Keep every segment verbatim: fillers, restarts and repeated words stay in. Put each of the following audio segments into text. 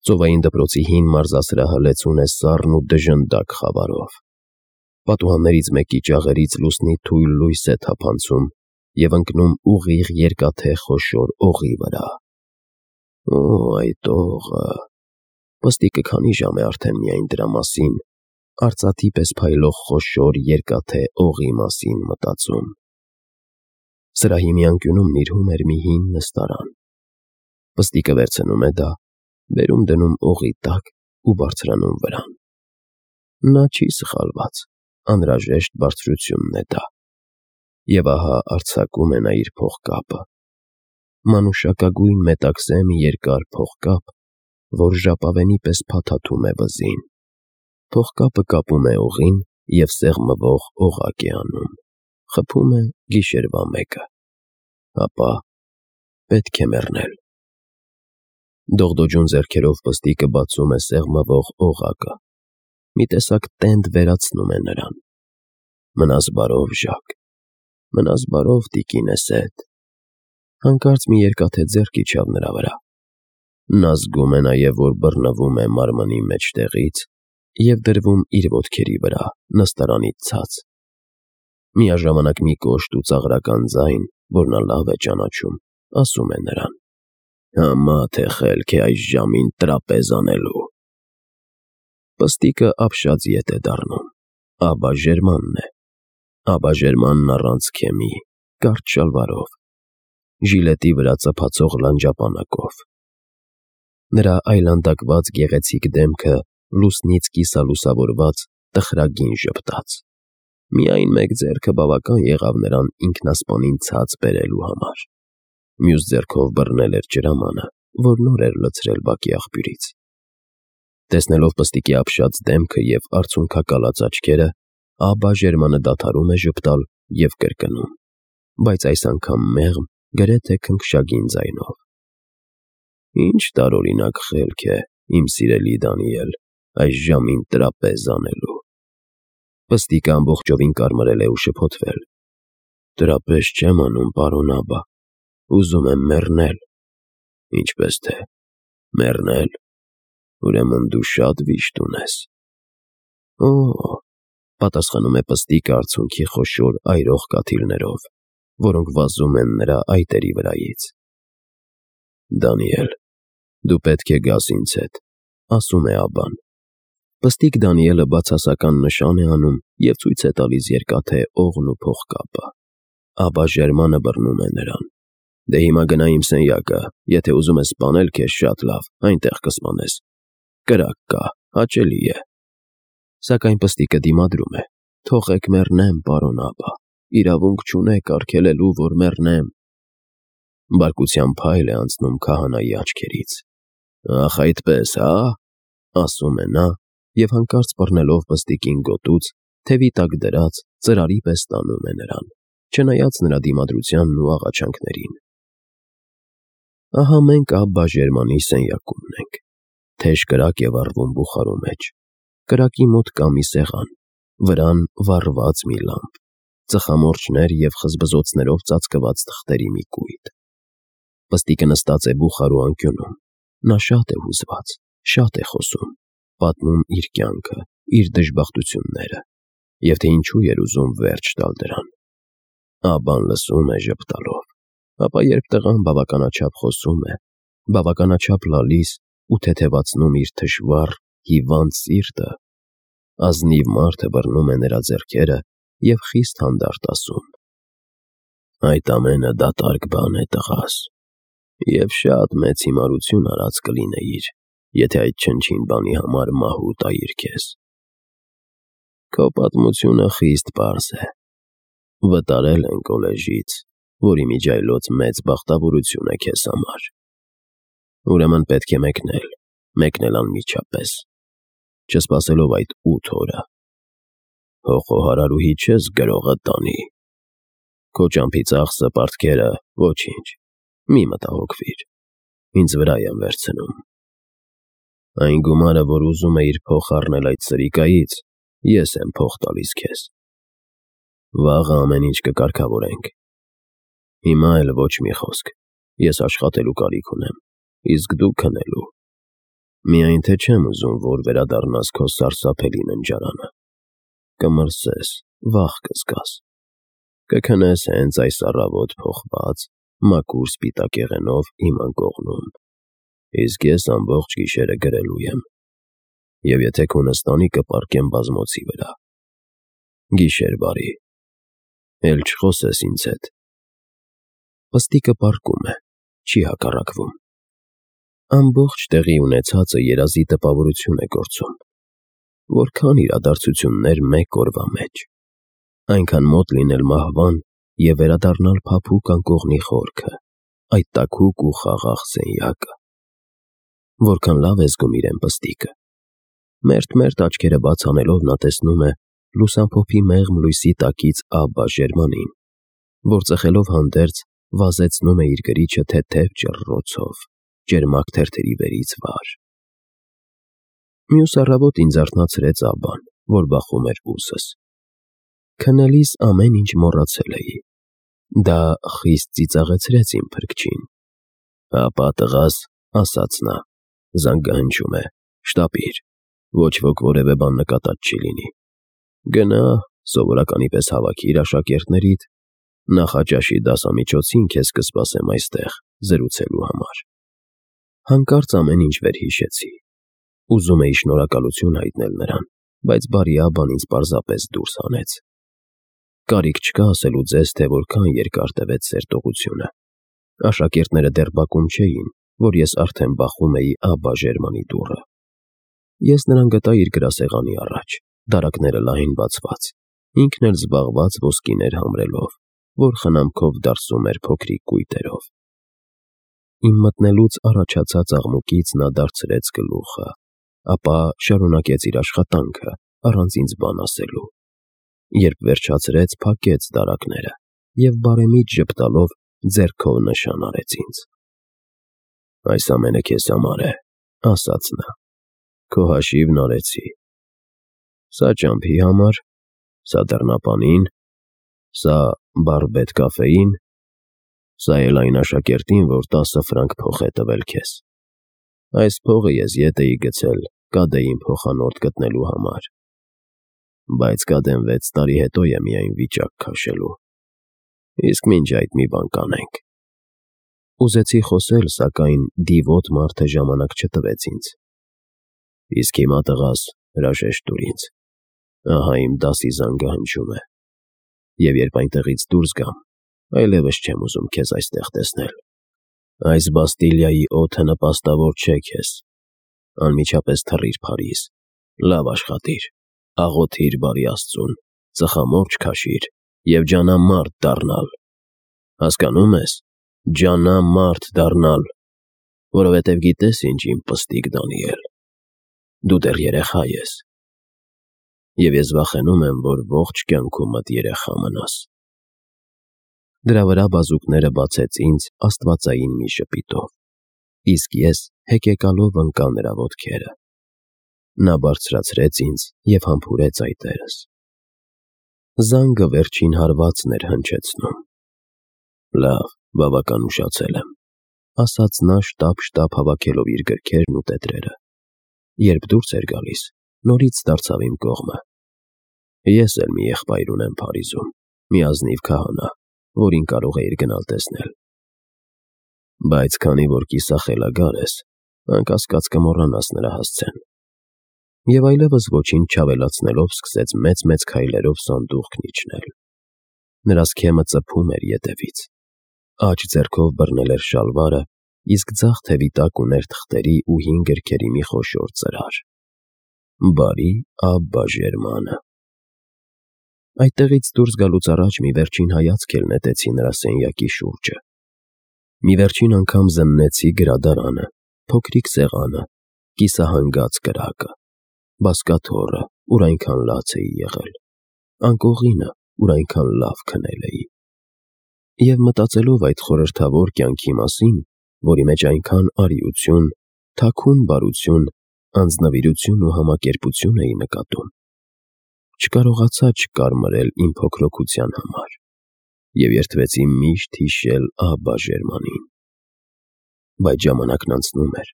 Ծովային դպրոցի հին մարզասրահը լեցուն է սառն ու դժնդակ խավարով։ Պատուհաններից մեկի ճաղերից լուսնի թույլ լույս է թափանցում և ընկնում ուղիղ երկաթե խոշոր օղի վրա։ Օ, այդ օղը… Պստիկը քանի ժամ է արդեն միայն դրա մասին, արծաթի պես փայլող խոշոր երկաթե օղի մասին մտածում։ Սրահի մի անկյունում նիրհում էր մի հին նստարան։ Պստիկը վերցնում է դա, բերում դնում օղի տակ ու բարձրանում վրան։ Նա չի սխալված, անհրաժեշտ բարձրությունն է դա։ Եվ ահա արձակում է նա իր փողկապը։ Մանուշակագույն մետաքսե մի երկար փողկապ, որ ժապավենի պես փաթաթում է վզին։ Փողկապը կապում է օղին և սեղմվող օղակ է անում, խփում է գիշերվա մեկը։ Ապա պետք է մեռնել։ Դողդոջուն ձեռքերով պստիկը բացում է սեղմվող օղակը։ Մի տեսակ տենդ վերացնում է նրան։ Մնաս բարով, Ժակ, մնաս բարով, տիկինս էդ։ Հանկարծ մի երկաթե ձեռք իջավ նրա վրա։ Նա զգում է նաև, որ բռնվում է մարմնի մեջտեղից և դրվում իր ոտքերի վրա, նստարանից ցած։ Միաժամանակ մի կոշտ ու ծաղրական ձայն, որ նա լավ է ճանաչում, ասում է նրան. «Համա թե խելք է այս ժամին տրապեզ անելու»։ Պստիկը ապշած ետ է դառնում։ Աբաժերմանն է։ Աբաժերմանն առանց քեմի, կարճ շալվարով, ժիլետի վրա ծփացող լանջապանակով։ Նրա այլանդակված գեղեցիկ դեմքը լուսնից կիսալուսավորված, տխրագին ժպտաց։ Միայն մեկ ձեռքը բավական եղավ նրան ինքնասպանին ցած բերելու համար։ Մյուս ձեռքով բռնել էր ջրամանը, որ նոր էր լցրել բակի աղբյուրից։ Տեսնելով պստիկի ապշած դեմքը և արցունքակալած աչքերը, Աբաժերմանը դադարում է ժպտալ և կրկնում, բայց այս անգամ մեղմ, գրեթե քնքշագին ձայնով. «Ինչ տարօրինակ խելք է, իմ սիրելի Դանիել, այս ժամին տրապեզ անելու»։ Պստիկը ամբողջովին կարմրել է ու շփոթվել։ «Տրապեզ չեմ անում, պարոն Աբա, ուզում եմ մեռնել»։ «Ինչպես թե, մեռնել, ուրեմն դու շատ վիշտ ունես»։ «Օ՜», պատասխանում է պստիկը արցունքի խոշոր այրող կաթիլներով, որոնք վազում են նրա այտերի վրայից։ «Դանիել, դու պետք է գաս ինձ հետ», ասում է Աբբան։ Պստիկ Դանիելը բացասական նշան է անում և ցույց է տալիս երկաթե օղն ու փողկապը։ Աբաժերմանը բռնում է նրան։ «Դե հիմա գնա իմ սենյակը, եթե ուզում ես սպանել քեզ, շատ լավ, այնտեղ կսպանես։ Կրակ կա, հաճելի է»։ Սակայն պստիկը դիմադրում է. «Թողեք մեռնեմ, պարոն Աբբա, իրավունք չունեք արգելելու, որ մեռնեմ»։ Բարկության փայլ է անցնում քահանայի աչքերից։ «Ախ, այդպես, հա՞», ասում է նա և հանկարծ բռնելով պստիկին գոտուց, թևի տակ դրած, ծրարի պես տանում է նրան, չնայած նրա դիմադրությանն ու աղաչանքներին։ Ահա մենք Աբբաժերմանի սենյակումն ենք։ Թեժ կրակ է վառվում բուխարու մեջ։ Կրակի մոտ կա մի սեղան, վրան վառված մի լամպ, ծխամորճներ և խզբզոցներով ծածկված թղթերի մի կույտ։ Պստիկը նստած է բուխարու անկյունում։ Նա շատ է հուզված, շատ է խոսում, պատմում իր կյանքը, իր դժբախտությունները, և թե ինչու էր ուզում վերջ տալ դրան։ Աբբան լսում է ժպտալով, ապա երբ տղան բավականաչափ խոսում է, բավականաչափ լալիս ու թեթևացնում իր թշվառ, հիվանդ սիրտը, ազնիվ մարդը բռնում է նրա ձեռքերը և խիստ հանդարտ ասում. «Այդ ամենը դատարկ բան է, տղաս, և շատ մեծ հիմարություն արած կլինեիր, եթե այդ չնչին բանի համար մահու տայիր քեզ։ Քո պատմությունը խիստ պարզ է։ Վտարել են կոլեժից, որի միջայլոց մեծ բախտավորություն է քեզ համար։ Ուրեմն պետք է մեկնել, մեկնել անմիջապես, չսպասելով այդ ութ օրը։ Հո խոհարարուհի չես գրողը տանի։ Քո ճամփի ծախսը, պարտքերը, ոչինչ, մի մտահոգվիր, ինձ վրա եմ վերցնում։ Այն գումարը, որ ուզում էիր փոխ առնել այդ սրիկայից, ես եմ փոխ տալիս քեզ։ Վաղը ամեն ինչ կկարգավորենք։ Հիմա էլ ոչ մի խոսք, ես աշխատելու կարիք ունեմ, իսկ դու քնելու։ Միայն թե չեմ ուզում, որ վերադառնաս քո սարսափելի ննջարանը, կմրսես, վախ կզգաս, կքնես հենց այս առավոտ փոխված, մաքուր սպիտակեղենով իմ անկողնում, իսկ ես ամբողջ գիշերը գրելու եմ, և եթե քո նստանի կպառկեմ բազմոցի վրա։ Գիշեր բարի, էլ չխոսես ինձ հետ։ Պստիկը պառկում է, չի հակառակվում։ Ամբողջ տեղի ունեցածը երազի տպավորություն է գործում։ Որքան իրադարձություններ մեկ օրվա մեջ, այնքան մոտ լինել մահվան և վերադառնալ փափուկ անկողնի խորքը, այդ տաքուկ ու խաղաղ սենյակը։ Որքան լավ է զգում իրեն պստիկը։ Մերթ-մերթ աչքերը բաց անելով նա տեսնում է լուսամփոփի մեղմ լույսի տակից Աբբա Ժերմանին, որ ծխելով հանդերձ վազեցնում է իր գրիչը թեթև ճռռոցով, ճերմակ թերթերի վերից վար։ Մյուս առավոտ ինձ արթնացրեց Աբբան, որ բախում էր ուսս։ Քնելիս ամեն ինչ մոռացել էի։ Դա խիստ ծիծաղեցրեց իմ փրկչին։ Հապա տղաս, ասաց նա, զանգահնչում է, շտապիր, ոչ ոք որևէ բան նկատած չի լինի։ Գնա, սովորականի պես հավաքիր աշակերտներիդ, նախաճաշի դասամիջոցին քեզ կսպասեմ այստեղ զրուցելու համար։ Հանկարծ ամեն ինչ վերհիշեցի։ Ուզում էի շնորհակալություն հայտնել նրան, բայց բարի Աբբան ինձ պարզապես դուրս հանեց։ Կարիք չկա ասելու ձեզ, թե որքան երկար տևեց սերտողությունը։ Աշակերտները դեռ բակում չէին, որ ես արդեն բախում էի Աբբա Ժերմանի դուռը։ Ես նրան գտա իր գրասեղանի առաջ, դարակները լայն բացված, ինքն էլ զբաղված ոսկիներ համրելով, որ խնամքով դարսում էր փոքրիկ կույտերով։ Իմ մտնելուց առաջացած աղմուկից նա դարձրեց գլուխը, ապա շարունակեց իր աշխատանքը, առանց ինձ բան ասելու։ Երբ վերջացրեց, փակեց դարակները և բարեմիտ ժպտալով ձեռքով նշան արեց ինձ։ Այս ամենը քեզ համար է, ասաց նա, քո հաշիվն արեցի։ Սա ճամփի համար, սա դռնապանին, սա բարբետ կաֆեին, սա էլ այն աշակերտին, որ տասը ֆրանկ փող է տվել քեզ։ Այս փողը ես ետ էի գցել Կադեին փոխանորդ գտնելու համար, բայց Կադեն վեց տարի հետո է միայն վիճակ քաշելու։ Իսկ մինչ այդ մի բան կանենք։ Ուզեցի խոսել, սակայն դիվոտ մարդը ժամանակ չտվեց ինձ։ Իսկ հիմա տղաս, հրաժեշտ տուր ինձ։ Ահա իմ դասի զանգահնչում է։ Եվ երբ այնտեղից դուրս գամ, այլևս չեմ ուզում քեզ այստեղ տեսնել։ Այս Բաստիլիայի օդը նպաստավոր չէ քեզ։ Անմիջապես թռիր Փարիզ, լավ աշխատիր, աղոթիր բարի Աստծուն, ծխամորճ քաշիր և ջանամարդ դառնալ։ Հասկանո՞ւմ ես, ջանամարդ դառնալ, որովհետև գիտես ինչ, իմ պստիկ Դանիել, դու դեռ երեխա ես, և ես վախենում եմ, որ ողջ կյանքումդ երեխա մնաս։ Դրա վրա բազուկները բացեց ինձ աստվածային մի ժպիտով, իսկ ես հեկեկալով ընկա նրա ոտքերը։ Նա բարձրացրեց ինձ և համբուրեց այտերս։ Զանգը վերջին հարվածն էր հնչեցնում։ Լավ, բավական ուշացել եմ, ասաց նա շտապ-շտապ հավաքելով իր գրքերն ու տետրերը։ Երբ դուրս էր գալիս, նորից դարձավ իմ կողմը։ Ես էլ մի եղբայր ունեմ Փարիզում, մի ազնիվ քահանա, որին կարող էիր գնալ տեսնել։ Բայց քանի որ կիսախելագար ես, անկասկած կմոռանաս նրա հասցեն։ Եվ այլևս ոչինչ չավելացնելով սկսեց մեծ-մեծ քայլերով սանդուղքն իջնել։ Նրա սքեմը ծփում էր ետևից։ Աջ ձեռքով բռնել էր շալվարը, իսկ ձախ թևի տակ ուներ թղթերի ու հին գրքերի մի խոշոր ծրար։ Բարի Աբբա Ժերմանը։ Այդտեղից դուրս գալուց առաջ մի վերջին հայացք էլ նետեցի նրա սենյակի շուրջը։ Մի վերջին անգամ զննեցի գրադարանը, փոքրիկ սեղանը, կիսահանգած կրակը, բազկաթոռը, ուր այնքան լաց էի եղել, անկողինը, ուր այնքան լավ քնել էի։ Եվ մտածելով այդ խորհրդավոր կյանքի մասին, որի մեջ այնքան արիություն, թաքուն բարություն, անձնվիրություն ու համակերպություն էի նկատում, չկարողացա չկարմրել իմ փոքրոքության համար և երդվեցի միշտ հիշել Աբբա Ժերմանին։ Բայց ժամանակն անցնում էր,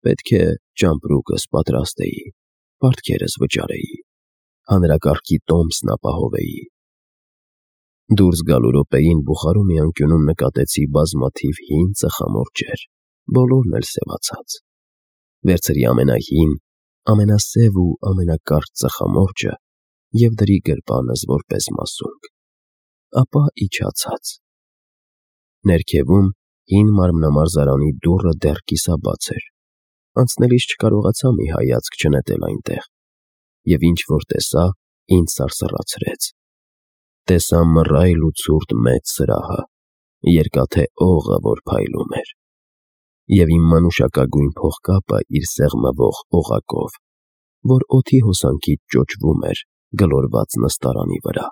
պետք է ճամպրուկս պատրաստեի, պարտքերս վճարեի, հանրակարգի տոմսն ապահովեի։ Դուրս գալու րոպեին Բուխարու մի անկյունում նկատեցի բազմաթիվ հին ծխամորճեր, բոլորն էլ սևացած։ Վերցրի ամենահին, ամենասև ու ամենակարճ ծխամորճը և դրի գրպանս որպես մասունք, ապա իջա ցած։ Ներքևում հին մարմնամարզարանի դուռը դեռ կիսաբաց էր, անցնելիս չկարողացա մի հայացք չնետել այնտեղ, և ինչ որ տեսա, ինձ սարսռացրեց։ Տեսա մռայլ ու ցուրտ մեծ սրահը, երկաթե օղը, որ փայլում էր, և իմ մանուշակագույն փողկապը իր սեղմվող օղակով, որ օդի հոսանքից ճոճվում էր գլորված նստարանի վրա։